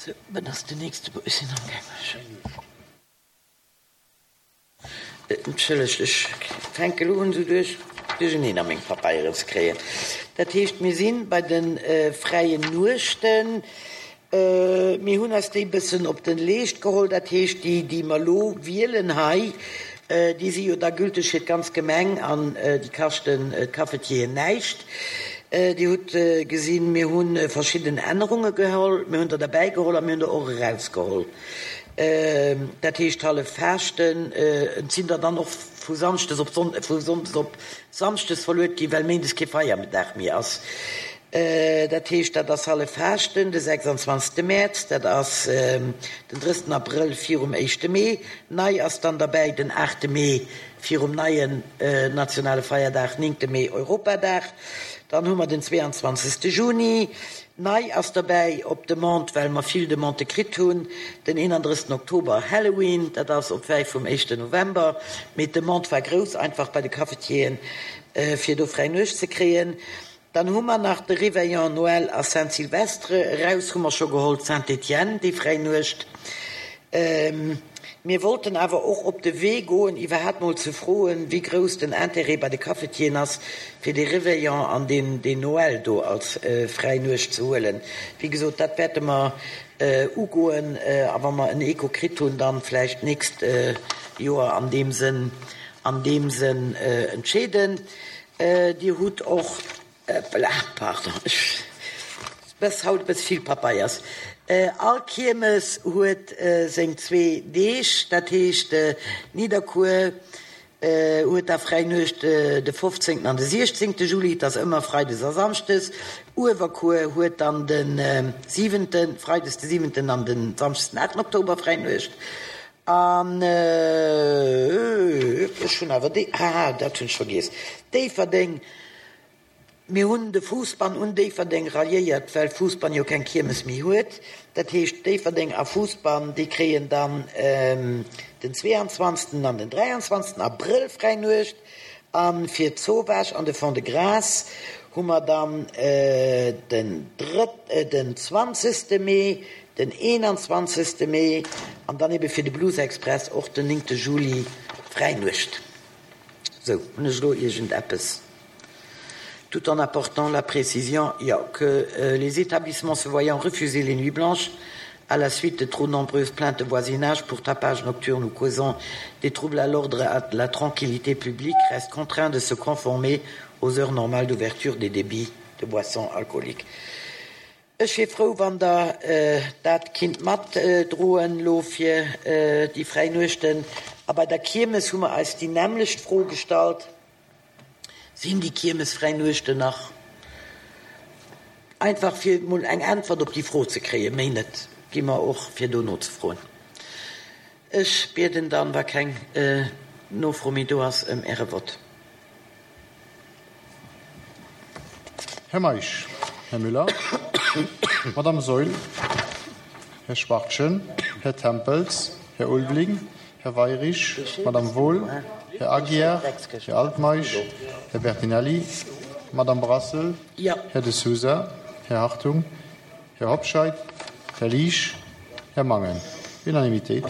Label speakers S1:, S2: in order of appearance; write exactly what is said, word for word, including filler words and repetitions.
S1: Sou, wat ass den nächste? Ech sinn am gaangen. Entschëllegt, ech fänke elo un, esou duerch duercherneen a meng Papeieren ze kréien. Dat heescht, mir si bei de fräien Nuechten. Mir hunn eis déi e bëssen op de Leescht geholl. Dat heescht, déi, déi mer elo wielen hei, déi si jo da gülteg fir d'ganz Gemeng an déi kaschten d'Cafetieren näischt. Dir hutt gesinn, mir hu verschidden Ännerunge geholl. Mir hunn der derbäigeholl a mir hunn der och erausgeholl. Dat heescht, hallef Faaschten, et sinn der dann och vu Samschdes op Sonn, vu Sonndes op Samschdes verluet ginn, well Méindes kee Feierdag méi ass. Dat heescht, dat ass hallef Faaschten, de sechsanzwanzegste Mäerz, dat ass den drëssten Abrëll virum éischte Mee. Nei ass dann derbäi den aachte Mee virum neien nationale Feierdag, néngte Mee Europadag. Dann hu mer den zweeanzwanzegste Juni. Nei ass derbäi, op Demande, well mer vill Demandë kritt hunn, den eenandrëssigsten Oktober, Halloween. Dat ass op wäi vum éischten November. Mee d'Demande war grouss einfach bei de Cafetieren, fir do fräi Nuecht ze kréien. Dann hu mer nach de Réveillon, Noël a Saint-Sylvestre. Eraus hu mer scho geholl Saint-Étienne, déi fräi Nuecht. Mir wollten awer och op de Wee goen, iwwerhaapt mol ze froen, wéi grouss den Intérêt bei de Cafetieren ass, fir dee Réveillon an deen Noël do als fräi Nuecht ze huelen. Wéi gesot, dat wäerte mer ugoen, a wa mer en Echo kritt hunn, dann vläicht d'nächst Joer an deem Sënn, an deem Sënn entscheeden. Dir hutt och. Ëppela, pardon, ech bëss haut e bëss vill Papeiers. All Kiermes huet seng zwee Deeg, dat heescht Nidderkuer huet da fräi Nuecht de fofzéngten an de siechzéngte Juli, et ass ëmmer freides a samschdes. Uewerkuer huet dann de siwenten, freides de siwenten an de samschdes den aachten Oktober fräi Nuecht. An ech hunn awer déi, haha, dat hunn ech vergiess, Déifferdeng. Mir hunn de Foosbann un Déifferdeng ralliéiert, well Foosbann jo keng Kiermes méi huet. Dat heescht, Déifferdeng a Foosbann, déi kréien dann den zweeanzwanzegsten an den dräianzwanzegsten Abrëll fräi Nuecht. A fir d'Zowaasch an de Fond-de-Gras hu mer dann den drëtt, den zwanzegste Mee, den eenanzwanzegste Mee an dann ebe fir de Blues Express och den néngte Juli fräi Nuecht. Sou, hunn ech elo iergendeppes? Tout en apportant la précision, jo, que les établissements se voyant refuser les nuits blanches à la suite de trop nombreuses plaintes de voisinage pour tapage nocturne ou causant des troubles à l'ordre et à la tranquillité publique restent contraints de se conformer aux heures normales d'ouverture des débits de boissons alcooliques. Ech wier frou, wann Der dat kinnt matdroen elo fir déi fräi Nuechten. A bei der Kiermes hu mer eis déi nämmlecht Fro gestallt. Sinn déi kiermesfräi Nuechten nach? Einfach fir emol eng Äntwert op déi Fro ze kréien, méi net gi mer och fir do nozefroen. Ech bieden dann, wa keng Nofro méi do ass, ëm Äre Vott.
S2: Här Meisch, Här Müller, Madame Saeul, Här Schwachtgen, Här Tempels, Här Ulveling, Här Weyrich, Madame Wohl, Här Aguiar, Här Altmeisch, Här Bertinelli, Madame Brassel, Här De Sousa, Här Hartung, Här Hobscheit, Här Liesch, Här Mangen. Unanimitéit.